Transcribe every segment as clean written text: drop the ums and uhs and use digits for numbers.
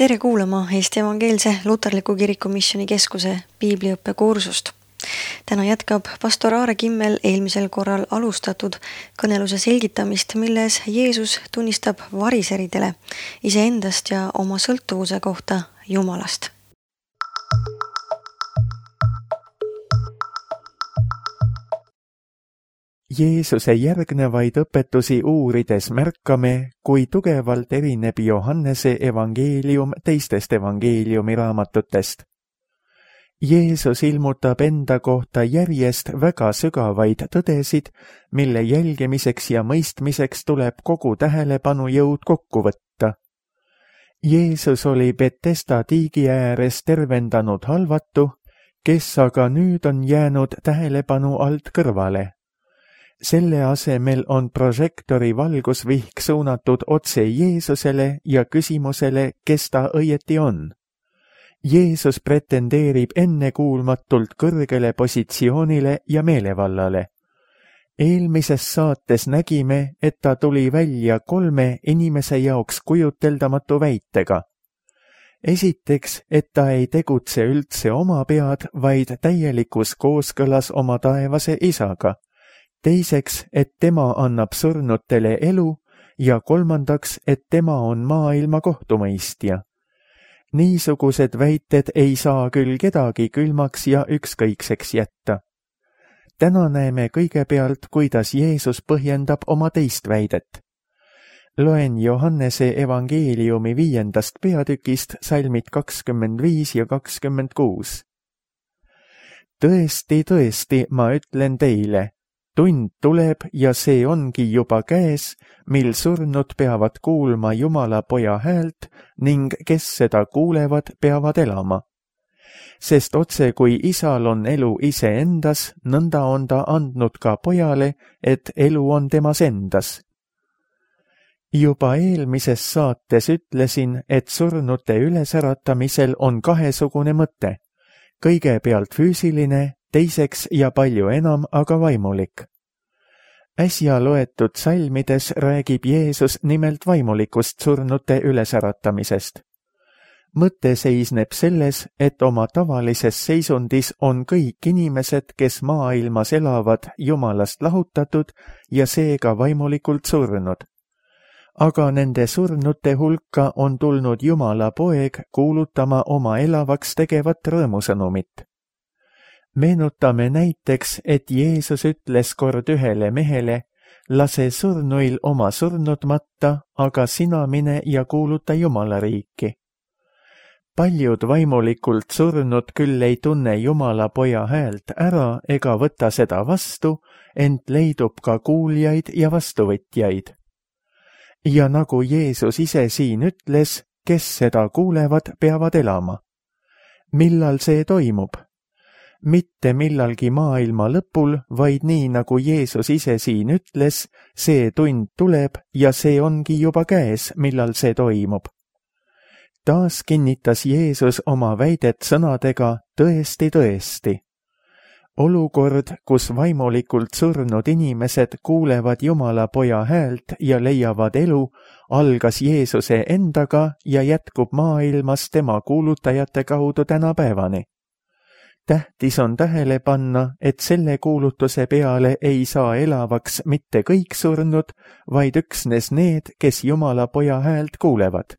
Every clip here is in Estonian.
Tere kuulama Eesti Evangeelse Luterliku Kiriku Missioni Keskuse piibliõppekursust. Täna jätkab pastor Aare Kimmel eelmisel korral alustatud kõneluse selgitamist, milles Jeesus tunnistab variseridele iseendast ja oma sõltuvuse kohta Jumalast. Jeesuse järgnevaid õpetusi uurides märkame, kui tugevalt erineb Johannese evangeelium teistest evangeeliumi raamatutest. Jeesus ilmutab enda kohta järjest väga sügavaid tõdesid, mille jälgimiseks ja mõistmiseks tuleb kogu tähelepanujõud kokku võtta. Jeesus oli Betesda tiigi ääres tervendanud halvatu, kes aga nüüd on jäänud tähelepanu alt kõrvale. Selle asemel on prožektori valgusvihk suunatud otse Jeesusele ja küsimusele, kes ta õieti on. Jeesus pretendeerib ennekuulmatult kõrgele positsioonile ja meelevallale. Eelmises saates nägime, et ta tuli välja 3 inimese jaoks kujuteldamatu väitega. Esiteks, et ta ei tegutse üldse oma pead, vaid täielikus kooskõlas oma taevase isaga. Teiseks, et tema annab surnutele elu ja kolmandaks, et tema on maailma kohtumõistja. Niisugused väited ei saa küll kedagi külmaks ja ükskõikseks jätta. Täna näeme kõigepealt, kuidas Jeesus põhjendab oma teist väidet. Loen Johannese evangeeliumi 5. peatükist salmid 25 ja 26. Tõesti, tõesti, ma ütlen teile, tund tuleb ja see ongi juba käes, mil surnud peavad kuulma Jumala poja häält ning kes seda kuulevad, peavad elama. Sest otse kui isal on elu iseendas, nõnda on ta andnud ka pojale, et elu on temas endas. Juba eelmises saates ütlesin, et surnute ülesäratamisel on kahesugune mõte. Kõigepealt füüsiline, teiseks ja palju enam aga vaimulik. Äsja loetud salmides räägib Jeesus nimelt vaimulikust surnute ülesäratamisest. Mõte seisneb selles, et oma tavalises seisundis on kõik inimesed, kes maailmas elavad, Jumalast lahutatud ja seega vaimulikult surnud. Aga nende surnute hulka on tulnud Jumala poeg kuulutama oma elavaks tegevat rõõmusõnumit. Meenutame näiteks, et Jeesus ütles kord ühele mehele, lase surnuil oma surnud matta, aga sina mine ja kuuluta Jumala riiki. Paljud vaimulikult surnud küll ei tunne Jumala poja häält ära ega võta seda vastu, ent leidub ka kuuljaid ja vastuvõtjaid. Ja nagu Jeesus ise siin ütles, kes seda kuulevad, peavad elama. Millal see toimub? Mitte millalgi maailma lõpul, vaid nii nagu Jeesus ise siin ütles, see tund tuleb ja see ongi juba käes, millal see toimub. Taas kinnitas Jeesus oma väidet sõnadega tõesti, tõesti. Olukord, kus vaimulikult surnud inimesed kuulevad Jumala poja häält ja leiavad elu, algas Jeesuse endaga ja jätkub maailmas tema kuulutajate kaudu tänapäevani. Tähtis on tähele panna, et selle kuulutuse peale ei saa elavaks mitte kõik surnud, vaid üksnes need, kes Jumala poja häält kuulevad.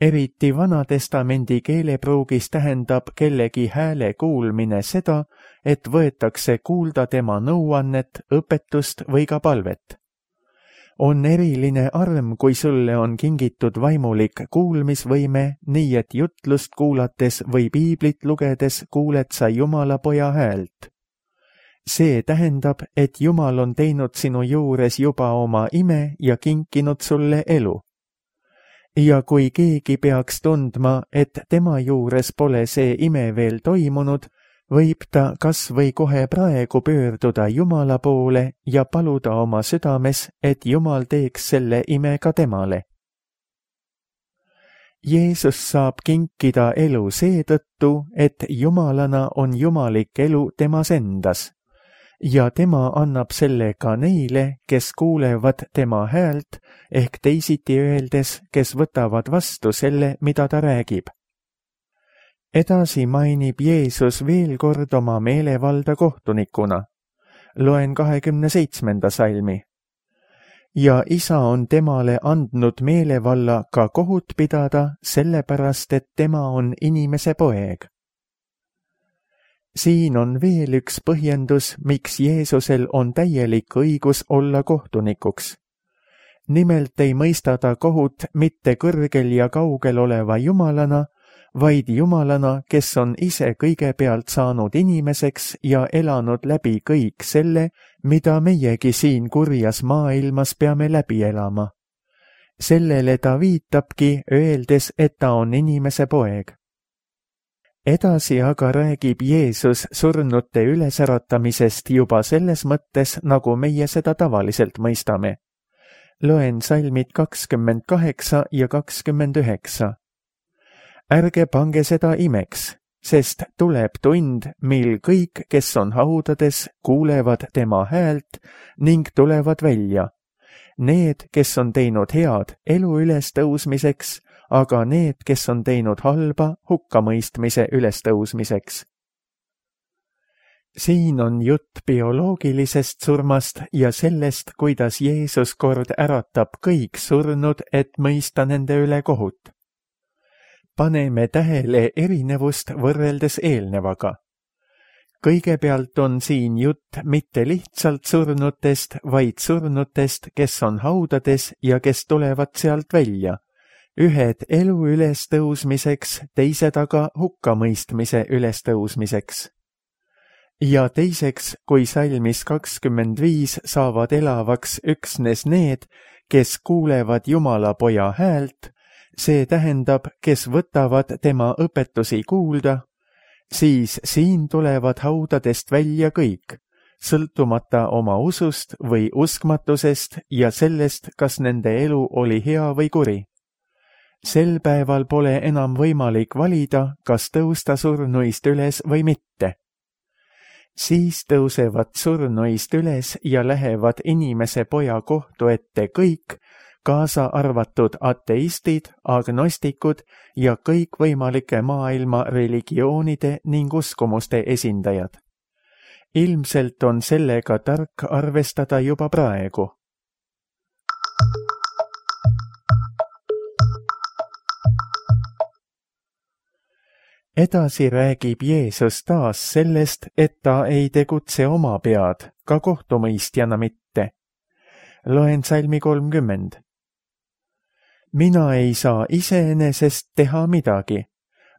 Eriti Vanatestamendi keelepruugis tähendab kellegi hääle kuulmine seda, et võetakse kuulda tema nõuannet, õpetust või ka palvet. On eriline arm, kui sulle on kingitud vaimulik kuulmisvõime, nii et jutlust kuulates või piiblit lugedes kuuled sa Jumala poja häält. See tähendab, et Jumal on teinud sinu juures juba oma ime ja kinkinud sulle elu. Ja kui keegi peaks tundma, et tema juures pole see ime veel toimunud, võib ta kas või kohe praegu pöörduda Jumala poole ja paluda oma südames, et Jumal teeks selle ime ka temale. Jeesus saab kinkida elu seetõttu, et Jumalana on jumalik elu temas endas. ja tema annab selle ka neile, kes kuulevad tema häält, ehk teisiti öeldes, kes võtavad vastu selle, mida ta räägib. Edasi mainib Jeesus veel kord oma meelevalda kohtunikuna. Loen 27. salmi. Ja isa on temale andnud meelevalla ka kohut pidada, sellepärast, et tema on inimese poeg. Siin on veel üks põhjendus, miks Jeesusel on täielik õigus olla kohtunikuks. Nimelt ei mõista ta kohut mitte kõrgel ja kaugel oleva Jumalana, vaid Jumalana, kes on ise kõigepealt saanud inimeseks ja elanud läbi kõik selle, mida meiegi siin kurjas maailmas peame läbi elama. Sellele ta viitabki, öeldes, et ta on inimese poeg. Edasi aga räägib Jeesus surnute ülesäratamisest juba selles mõttes, nagu meie seda tavaliselt mõistame. Loen salmid 28 ja 29. Ärge pange seda imeks, sest tuleb tund, mil kõik, kes on haudades, kuulevad tema häält ning tulevad välja. Need, kes on teinud head elu ülestõusmiseks, aga need, kes on teinud halba hukkamõistmise ülestõusmiseks. Siin on jutt bioloogilisest surmast ja sellest, kuidas Jeesus kord äratab kõik surnud, et mõista nende üle kohut. Paneme tähele erinevust võrreldes eelnevaga. Kõigepealt on siin jutt mitte lihtsalt surnutest, vaid surnutest, kes on haudades ja kes tulevad sealt välja. Ühed elu ülestõusmiseks, teised aga hukkamõistmise ülestõusmiseks. Ja teiseks, kui salmis 25 saavad elavaks üksnes need, kes kuulevad Jumala poja häält, see tähendab, kes võtavad tema õpetusi kuulda, siis siin tulevad haudadest välja kõik, sõltumata oma usust või uskmatusest ja sellest, kas nende elu oli hea või kuri. Sel päeval pole enam võimalik valida, kas tõusta surnuist üles või mitte. Siis tõusevad surnuist üles ja lähevad inimese poja kohtu ette kõik, kaasa arvatud ateistid, agnostikud ja kõikvõimalike maailma religioonide ning uskumuste esindajad. Ilmselt on sellega tark arvestada juba praegu. Edasi räägib Jeesus taas sellest, et ta ei tegutse oma pead, ka kohtumõistjana mitte. Loen salmi 30. Mina ei saa iseenesest teha midagi.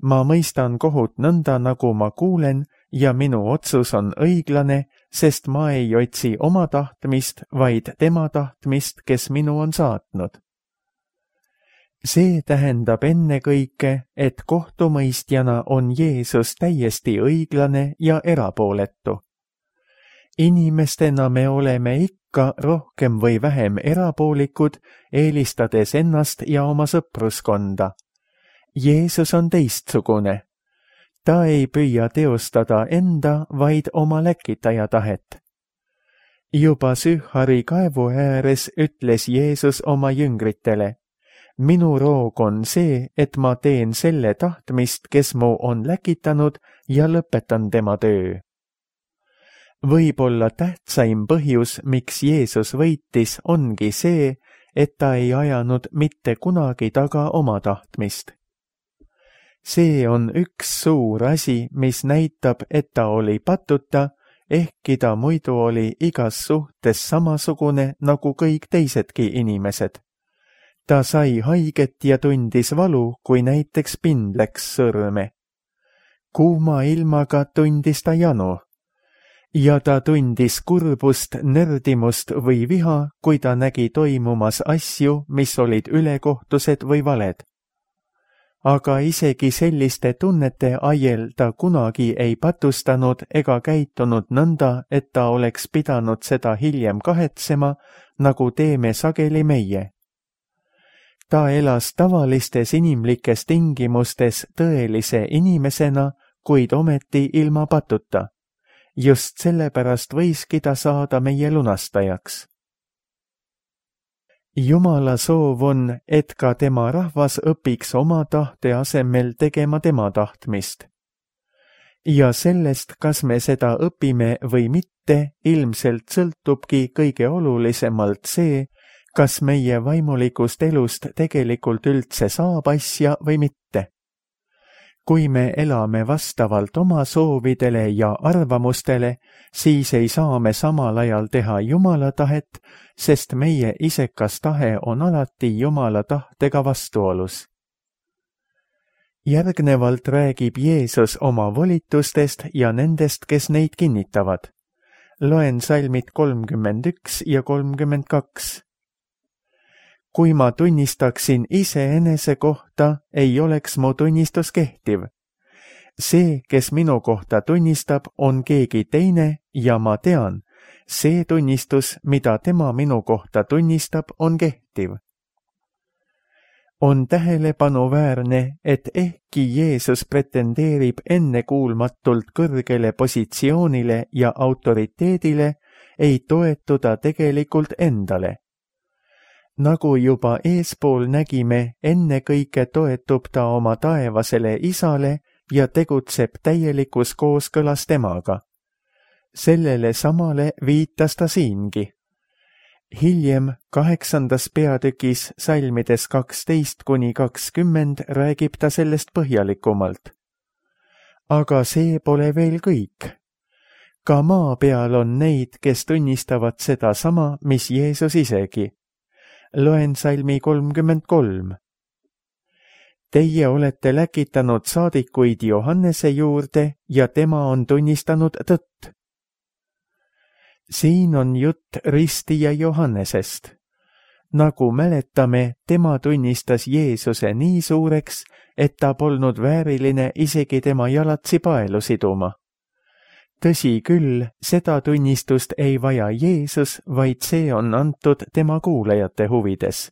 Ma mõistan kohut nõnda, nagu ma kuulen, ja minu otsus on õiglane, sest ma ei otsi oma tahtmist, vaid tema tahtmist, kes minu on saatnud. See tähendab ennekõike, et kohtumõistjana on Jeesus täiesti õiglane ja erapooletu. Inimestena me oleme ikka rohkem või vähem erapoolikud, eelistades ennast ja oma sõpruskonda. Jeesus on teistsugune. Ta ei püüa teostada enda, vaid oma läkitaja tahet. Juba Sühari kaevu ääres ütles Jeesus oma jüngritele: minu roog on see, et ma teen selle tahtmist, kes mu on läkitanud ja lõpetan tema töö. Võib-olla tähtsaim põhjus, miks Jeesus võitis, ongi see, et ta ei ajanud mitte kunagi taga oma tahtmist. See on üks suur asi, mis näitab, et ta oli patuta, ehkki ta muidu oli igas suhtes samasugune nagu kõik teisedki inimesed. Ta sai haiget ja tundis valu, kui näiteks pind läks sõrme. Kuuma ilmaga tundis ta janu. Ja ta tundis kurbust, nördimust või viha, kui ta nägi toimumas asju, mis olid ülekohtused või valed. Aga isegi selliste tunnete ajel ta kunagi ei patustanud ega käitunud nõnda, et ta oleks pidanud seda hiljem kahetsema, nagu teeme sageli meie. Ta elas tavalistes inimlikes tingimustes tõelise inimesena, kuid ometi ilma patuta. just sellepärast võiski ta saada meie lunastajaks. Jumala soov on, et ka tema rahvas õpiks oma tahte asemel tegema tema tahtmist. Ja sellest, kas me seda õpime või mitte, ilmselt sõltubki kõige olulisemalt see, kas meie vaimulikust elust tegelikult üldse saab asja või mitte. Kui me elame vastavalt oma soovidele ja arvamustele, siis ei saa me samal ajal teha Jumala tahet, sest meie isekas tahe on alati Jumala tahtega vastuolus. Järgnevalt räägib Jeesus oma volitustest ja nendest, kes neid kinnitavad. Loen salmid 31 ja 32. Kui ma tunnistaksin iseenese kohta, ei oleks mu tunnistus kehtiv. See, kes minu kohta tunnistab, on keegi teine ja ma tean, see tunnistus, mida tema minu kohta tunnistab, on kehtiv. On tähelepanuväärne, et ehkki Jeesus pretendeerib ennekuulmatult kõrgele positsioonile ja autoriteedile, ei toetu ta tegelikult endale. Nagu juba eespool nägime, ennekõike toetub ta oma taevasele isale ja tegutseb täielikus kooskõlas temaga. Sellele samale viitas ta siingi. Hiljem 8. peatükis salmides 12–20 räägib ta sellest põhjalikumalt. Aga see pole veel kõik. Ka maa peal on neid, kes tunnistavad seda sama, mis Jeesus isegi. Loen salmi 33. Teie olete läkitanud saadikuid Johannese juurde ja tema on tunnistanud tõtt. Siin on jutt ristija Johannesest. Nagu mäletame, tema tunnistas Jeesuse nii suureks, et ta polnud vääriline isegi tema jalatsi paelu siduma. Tõsi küll, seda tunnistust ei vaja Jeesus, vaid see on antud tema kuulajate huvides.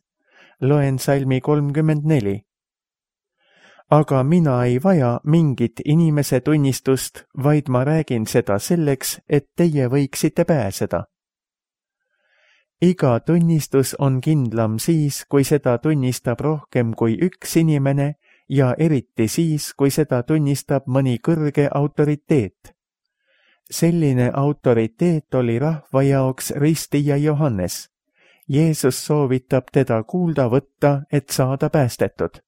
Loen salmi 34. Aga mina ei vaja mingit inimese tunnistust, vaid ma räägin seda selleks, et teie võiksite pääseda. Iga tunnistus on kindlam siis, kui seda tunnistab rohkem kui üks inimene ja eriti siis, kui seda tunnistab mõni kõrge autoriteet. Selline autoriteet oli rahva jaoks ristija Johannes. Jeesus soovitab teda kuulda võtta, et saada päästetud.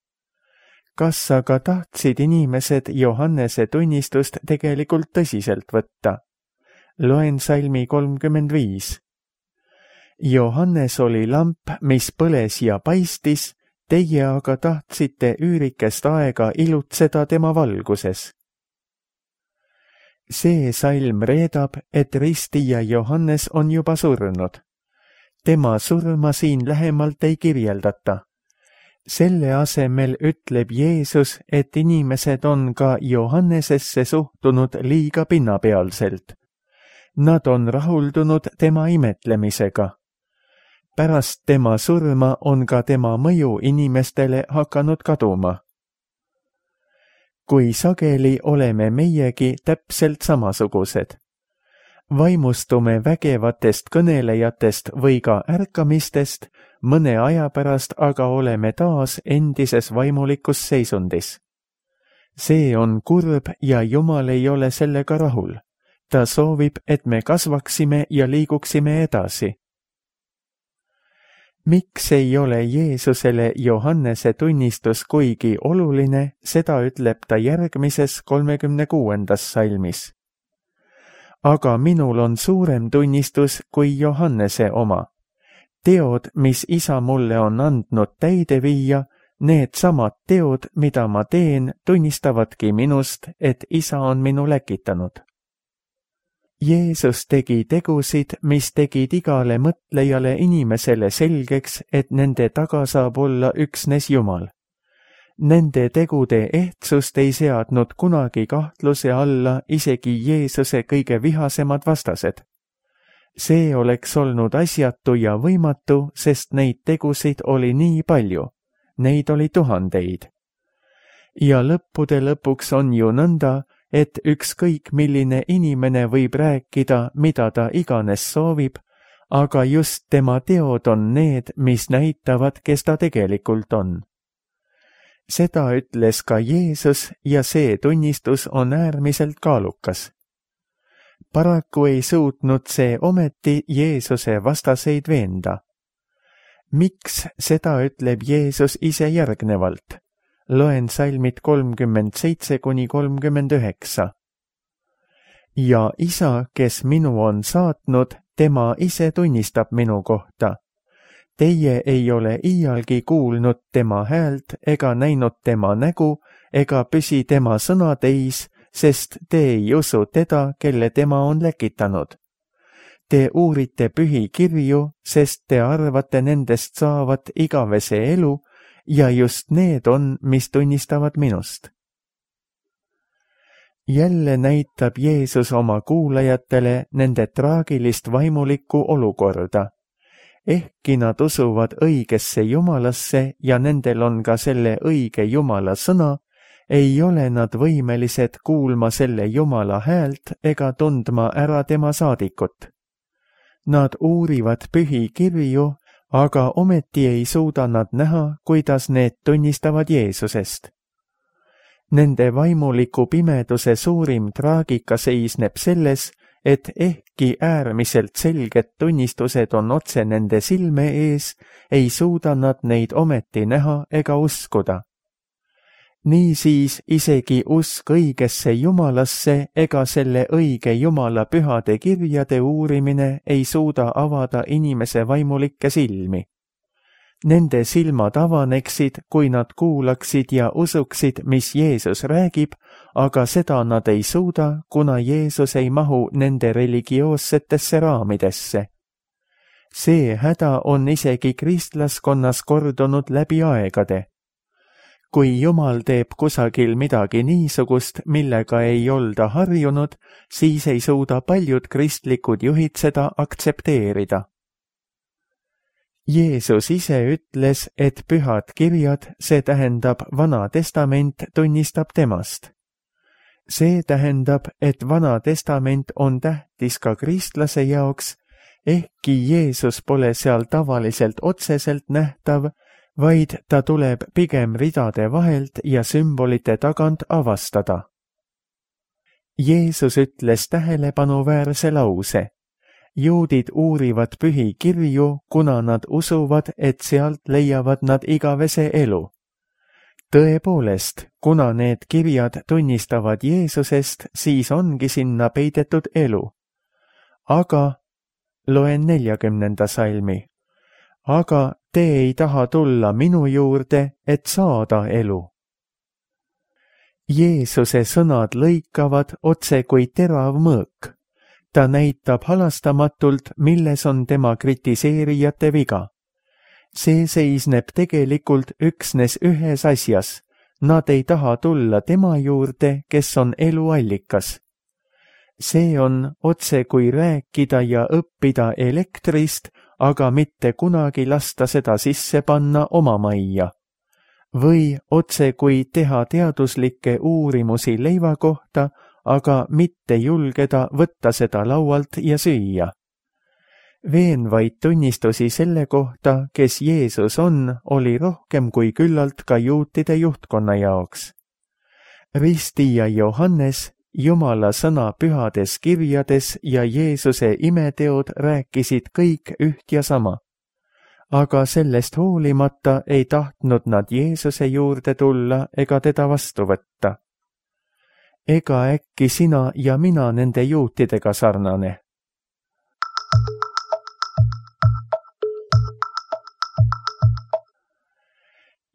Kas aga tahtsid inimesed Johannese tunnistust tegelikult tõsiselt võtta? Loen salmi 35. Johannes oli lamp, mis põles ja paistis, teie aga tahtsite üürikest aega ilutseda tema valguses. See salm reedab, et ristija Johannes on juba surnud. Tema surma siin lähemalt ei kirjeldata. Selle asemel ütleb Jeesus, et inimesed on ka Johannesesse suhtunud liiga pinnapealselt. Nad on rahuldunud tema imetlemisega. Pärast tema surma on ka tema mõju inimestele hakanud kaduma. Kui sageli oleme meiegi täpselt samasugused. Vaimustume vägevatest kõnelejatest või ka ärkamistest, mõne aja pärast aga oleme taas endises vaimulikus seisundis. See on kurb ja Jumal ei ole sellega rahul. Ta soovib, et me kasvaksime ja liiguksime edasi. Miks ei ole Jeesusele Johannese tunnistus kuigi oluline, seda ütleb ta järgmises 36. salmis. Aga minul on suurem tunnistus kui Johannese oma. Teod, mis isa mulle on andnud täide viia, need samad teod, mida ma teen, tunnistavadki minust, et isa on minu läkitanud. Jeesus tegi tegusid, mis tegid igale mõtlejale inimesele selgeks, et nende taga saab olla üksnes Jumal. Nende tegude ehtsust ei seadnud kunagi kahtluse alla isegi Jeesuse kõige vihasemad vastased. See oleks olnud asjatu ja võimatu, sest neid tegusid oli nii palju. Neid oli tuhandeid. Ja lõppude lõpuks on ju nõnda, et ükskõik milline inimene võib rääkida, mida ta iganes soovib, aga just tema teod on need, mis näitavad, kes ta tegelikult on. Seda ütles ka Jeesus ja see tunnistus on äärmiselt kaalukas. Paraku ei suutnud see ometi Jeesuse vastaseid veenda. Miks seda ütleb Jeesus ise järgnevalt? Loen salmid 37–39. Ja isa, kes minu on saatnud, tema ise tunnistab minu kohta. Teie ei ole iialgi kuulnud tema häält ega näinud tema nägu ega püsi tema sõnateis, sest te ei usu teda, kelle tema on läkitanud. Te uurite pühi kirju, sest te arvate nendest saavat igavese elu ja just need on, mis tunnistavad minust. Jälle näitab Jeesus oma kuulajatele nende traagilist vaimulikku olukorda. Ehkki nad usuvad õigesse Jumalasse ja nendel on ka selle õige Jumala sõna, ei ole nad võimelised kuulma selle Jumala häält ega tundma ära tema saadikut. Nad uurivad pühi kirju, aga ometi ei suuda nad näha, kuidas need tunnistavad Jeesusest. Nende vaimuliku pimeduse suurim traagika seisneb selles, et ehkki äärmiselt selged tunnistused on otse nende silme ees, ei suuda nad neid ometi näha ega uskuda. Niisiis isegi usk õigesse Jumalasse ega selle õige Jumala pühade kirjade uurimine ei suuda avada inimese vaimulikke silmi. Nende silmad avaneksid, kui nad kuulaksid ja usuksid, mis Jeesus räägib, aga seda nad ei suuda, kuna Jeesus ei mahu nende religioossetesse raamidesse. See häda on isegi kristlaskonnas kordunud läbi aegade. Kui Jumal teeb kusagil midagi niisugust, millega ei olda harjunud, siis ei suuda paljud kristlikud juhid seda aktsepteerida. Jeesus ise ütles, et pühad kirjad, see tähendab Vana Testament, tunnistab temast. See tähendab, et Vana Testament on tähtis ka kristlase jaoks, ehkki Jeesus pole seal tavaliselt otseselt nähtav, vaid ta tuleb pigem ridade vahelt ja sümbolite tagant avastada. Jeesus ütles tähelepanuväärse lause. Juudid uurivad pühi kirju, kuna nad usuvad, et sealt leiavad nad igavese elu. Tõepoolest, kuna need kirjad tunnistavad Jeesusest, siis ongi sinna peidetud elu. Aga, loen 40. salmi, aga te ei taha tulla minu juurde, et saada elu. Jeesuse sõnad lõikavad otse kui terav mõõk. Ta näitab halastamatult, milles on tema kritiseerijate viga. See seisneb tegelikult üksnes ühes asjas. Nad ei taha tulla tema juurde, kes on elu allikas. See on otse kui rääkida ja õppida elektrist, aga mitte kunagi lasta seda sisse panna oma majja. Või otse kui teha teaduslikke uurimusi leiva kohta, aga mitte julgeda võtta seda laualt ja süüa. Veenvaid tunnistusi selle kohta, kes Jeesus on, oli rohkem kui küllalt ka juutide juhtkonna jaoks. Ristija Johannes, Jumala sõna pühades kirjades ja Jeesuse imeteod rääkisid kõik üht ja sama. Aga sellest hoolimata ei tahtnud nad Jeesuse juurde tulla ega teda vastu võtta. Ega äkki sina ja mina nende juutidega sarnane?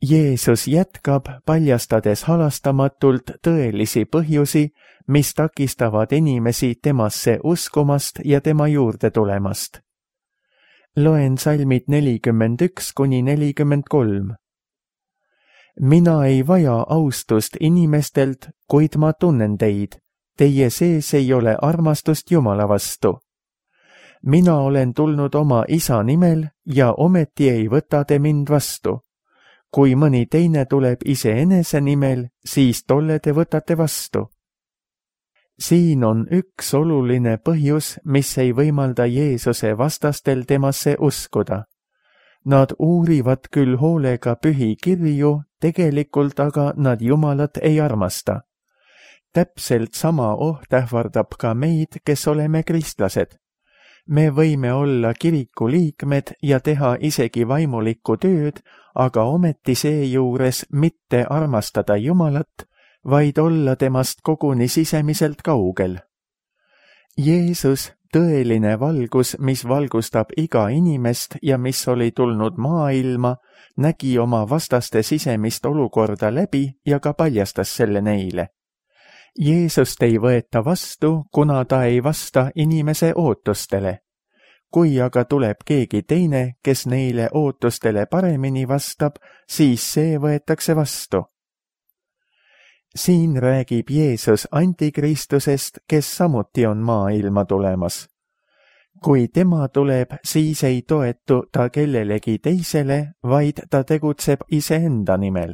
Jeesus jätkab, paljastades halastamatult tõelisi põhjusi, mis takistavad inimesi temasse uskumast ja tema juurde tulemast. Loen salmid 41–43. Mina ei vaja austust inimestelt, kuid ma tunnen teid. Teie sees ei ole armastust Jumala vastu. Mina olen tulnud oma isa nimel ja ometi ei võta te mind vastu. Kui mõni teine tuleb iseenese nimel, siis tolle te võtate vastu. Siin on üks oluline põhjus, mis ei võimalda Jeesuse vastastel temasse uskuda. Nad uurivad küll hoolega pühi kirju, tegelikult aga nad Jumalat ei armasta. Täpselt sama oht ähvardab ka meid, kes oleme kristlased. Me võime olla kiriku liikmed ja teha isegi vaimulikku tööd, aga ometi seejuures mitte armastada Jumalat, vaid olla temast koguni sisemiselt kaugel. Jeesus, tõeline valgus, mis valgustab iga inimest ja mis oli tulnud maailma, nägi oma vastaste sisemist olukorda läbi ja ka paljastas selle neile. Jeesust ei võeta vastu, kuna ta ei vasta inimese ootustele. Kui aga tuleb keegi teine, kes neile ootustele paremini vastab, siis see võetakse vastu. Siin räägib Jeesus antikristusest, kes samuti on maailma tulemas. Kui tema tuleb, siis ei toetu ta kellelegi teisele, vaid ta tegutseb iseenda nimel.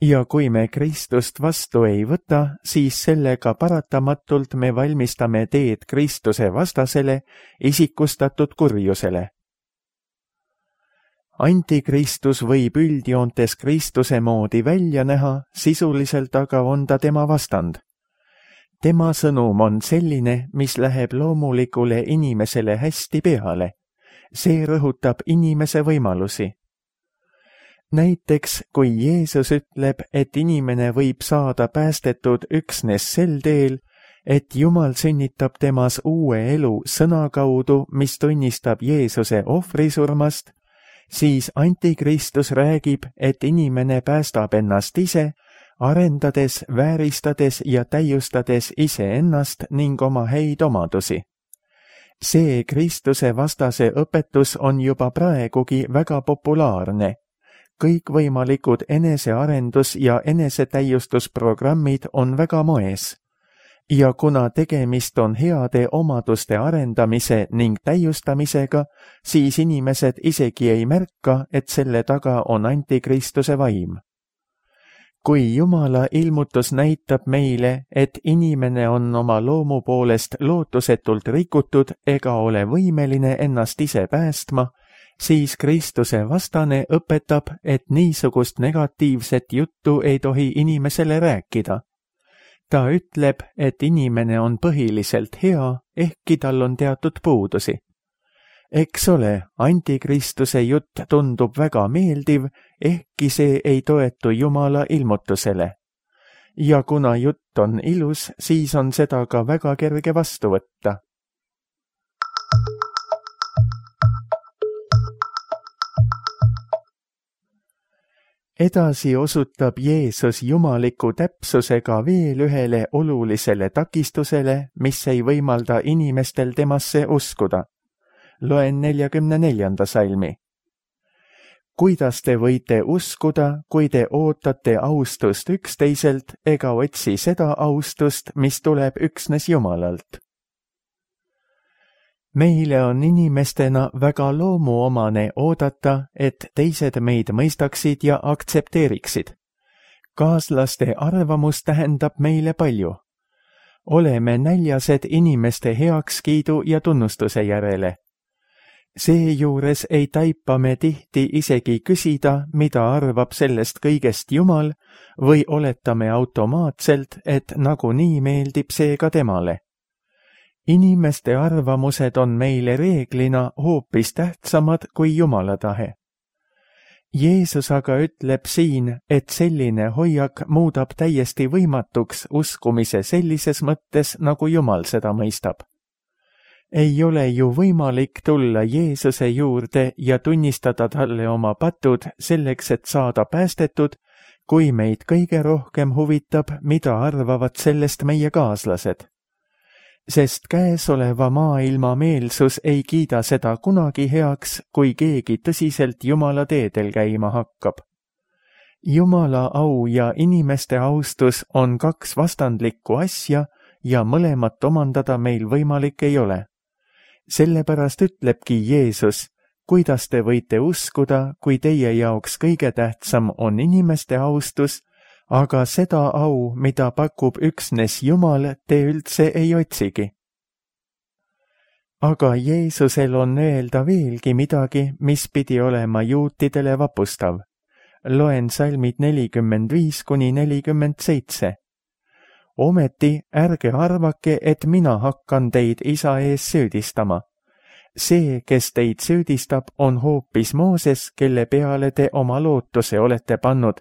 Ja kui me Kristust vastu ei võta, siis sellega paratamatult me valmistame teed Kristuse vastasele, isikustatud kurjusele. Antikristus võib üldjoontes Kristuse moodi välja näha, sisuliselt aga on ta tema vastand. Tema sõnum on selline, mis läheb loomulikule inimesele hästi peale. See rõhutab inimese võimalusi. Näiteks, kui Jeesus ütleb, et inimene võib saada päästetud üksnes sel teel, et Jumal sünnitab temas uue elu sõna kaudu, mis tunnistab Jeesuse ohvrisurmast, siis antikristus räägib, et inimene päästab ennast ise, arendades, vääristades ja täiustades iseennast ning oma häid omadusi. See Kristuse vastase õpetus on juba praegugi väga populaarne. Kõikvõimalikud enesearendus- ja enesetäiustusprogrammid on väga moes. Ja kuna tegemist on heade omaduste arendamise ning täiustamisega, siis inimesed isegi ei märka, et selle taga on antikristuse vaim. Kui Jumala ilmutus näitab meile, et inimene on oma loomu poolest lootusetult rikutud ega ole võimeline ennast ise päästma, siis Kristuse vastane õpetab, et niisugust negatiivset juttu ei tohi inimesele rääkida. Ta ütleb, et inimene on põhiliselt hea, ehkki tal on teatud puudusi. Eks ole, antikristuse jutt tundub väga meeldiv, ehkki see ei toetu Jumala ilmutusele. Ja kuna jutt on ilus, siis on seda ka väga kerge vastu võtta. Edasi osutab Jeesus jumaliku täpsusega veel ühele olulisele takistusele, mis ei võimalda inimestel temasse uskuda. Loen 44. salmi. Kuidas te võite uskuda, kui te ootate austust üksteiselt ega otsi seda austust, mis tuleb üksnes Jumalalt? Meile on inimestena väga loomuomane oodata, et teised meid mõistaksid ja aktsepteeriksid. Kaaslaste arvamus tähendab meile palju. Oleme näljased inimeste heakskiidu ja tunnustuse järele. Seejuures ei taipa me tihti isegi küsida, mida arvab sellest kõigest Jumal, või oletame automaatselt, et nagunii meeldib see ka temale. Inimeste arvamused on meile reeglina hoopis tähtsamad kui Jumala tahe. Jeesus aga ütleb siin, et selline hoiak muudab täiesti võimatuks uskumise sellises mõttes, nagu Jumal seda mõistab. Ei ole ju võimalik tulla Jeesuse juurde ja tunnistada talle oma patud selleks, et saada päästetud, kui meid kõige rohkem huvitab, mida arvavad sellest meie kaaslased. Sest käesoleva maailma meelsus ei kiida seda kunagi heaks, kui keegi tõsiselt Jumala teedel käima hakkab. Jumala au ja inimeste austus on kaks vastandlikku asja ja mõlemat omandada meil võimalik ei ole. Sellepärast ütlebki Jeesus, kuidas te võite uskuda, kui teie jaoks kõige tähtsam on inimeste austus, aga seda au, mida pakub üksnes Jumal, te üldse ei otsigi. Aga Jeesusel on öelda veelgi midagi, mis pidi olema juutidele vapustav. Loen salmid 45–47. Ometi ärge arvake, et mina hakkan teid isa ees süüdistama. See, kes teid süüdistab, on hoopis Mooses, kelle peale te oma lootuse olete pannud,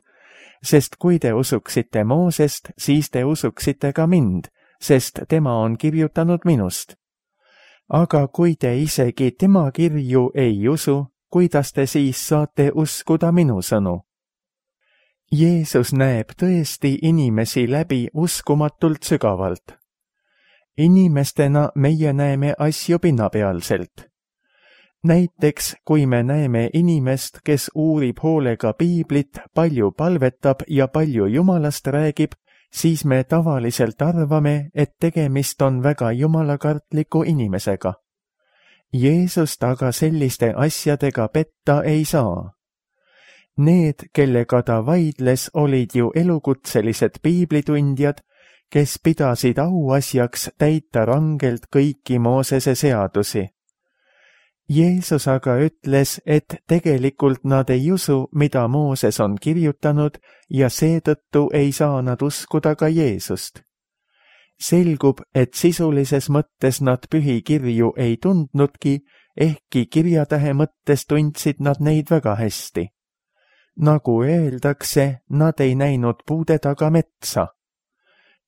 sest kui te usuksite Moosest, siis te usuksite ka mind, sest tema on kirjutanud minust. Aga kui te isegi tema kirju ei usu, kuidas te siis saate uskuda minu sõnu? Jeesus näeb tõesti inimesi läbi uskumatult sügavalt. Inimestena meie näeme asju pinnapealselt. Näiteks, kui me näeme inimest, kes uurib hoolega piiblit, palju palvetab ja palju Jumalast räägib, siis me tavaliselt arvame, et tegemist on väga jumalakartliku inimesega. Jeesust aga selliste asjadega petta ei saa. Need, kellega ta vaidles, olid ju elukutselised piiblitundjad, kes pidasid auasjaks täita rangelt kõiki Moosese seadusi. Jeesus aga ütles, et tegelikult nad ei usu, mida Mooses on kirjutanud, ja seetõttu ei saa nad uskuda ka Jeesust. Selgub, et sisulises mõttes nad pühikirju ei tundnudki, ehkki kirjatähe mõttes tundsid nad neid väga hästi. Nagu öeldakse, nad ei näinud puude taga metsa.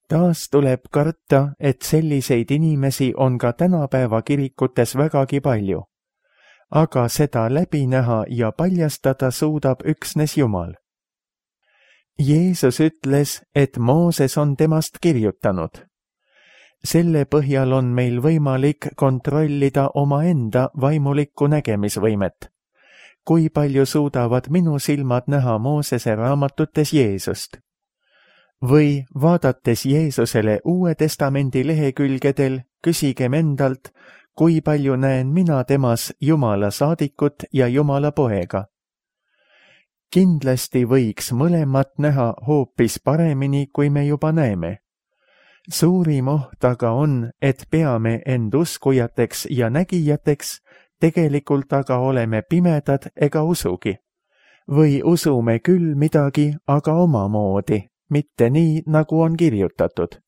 Taas tuleb karta, et selliseid inimesi on ka tänapäeva kirikutes vägagi palju. Aga seda läbi näha ja paljastada suudab üksnes Jumal. Jeesus ütles, et Mooses on temast kirjutanud. Selle põhjal on meil võimalik kontrollida omaenda vaimulikku nägemisvõimet. Kui palju suudavad minu silmad näha Moosese raamatutes Jeesust? Või vaadates Jeesusele Uue Testamendi lehekülgedel, küsigem endalt, kui palju näen mina temas Jumala saadikut ja Jumala poega. Kindlasti võiks mõlemat näha hoopis paremini, kui me juba näeme. Suurim oht aga on, et peame end uskujateks ja nägijateks, tegelikult aga oleme pimedad ega usugi. Või usume küll midagi, aga omamoodi, mitte nii, nagu on kirjutatud.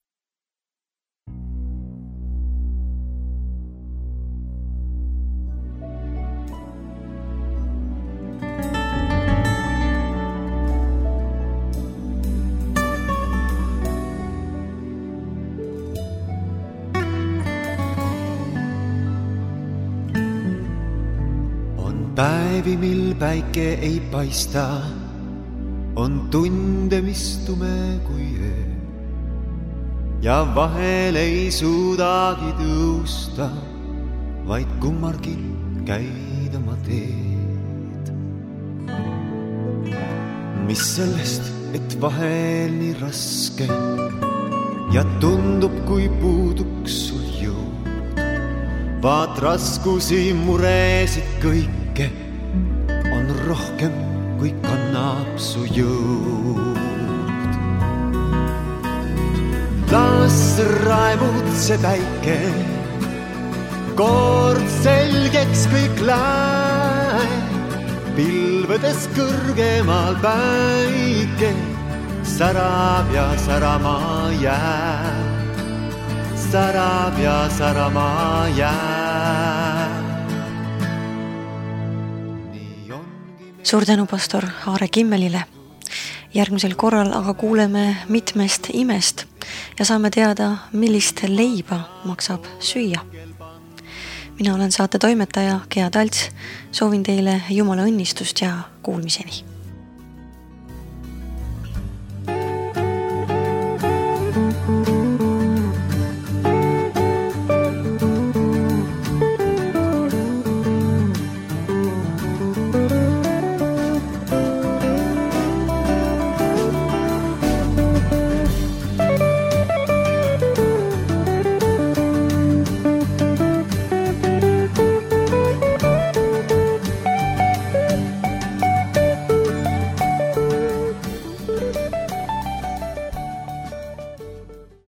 Päevi, mil päike ei paista, on tunde, mis tume kui öö. Ja vahel ei suudagi tõusta, vaid kummargi käid oma teed. Mis sellest, et vahel nii raske ja tundub, kui puuduks sul jõud. Vaat raskusi, muresid kõike on rohkem, kui kannab su jõud. Las raevud see päike, kord selgeks kõik läheb. Pilvedes kõrgemal päike särab ja särama jääb. Särab ja särama jääb. Suur tänu pastor Aare Kimmelile. Järgmisel korral aga kuuleme mitmest imest ja saame teada, millist leiba maksab süüa. Mina olen saate toimetaja Gea Talts. Soovin teile Jumala õnnistust ja kuulmiseni.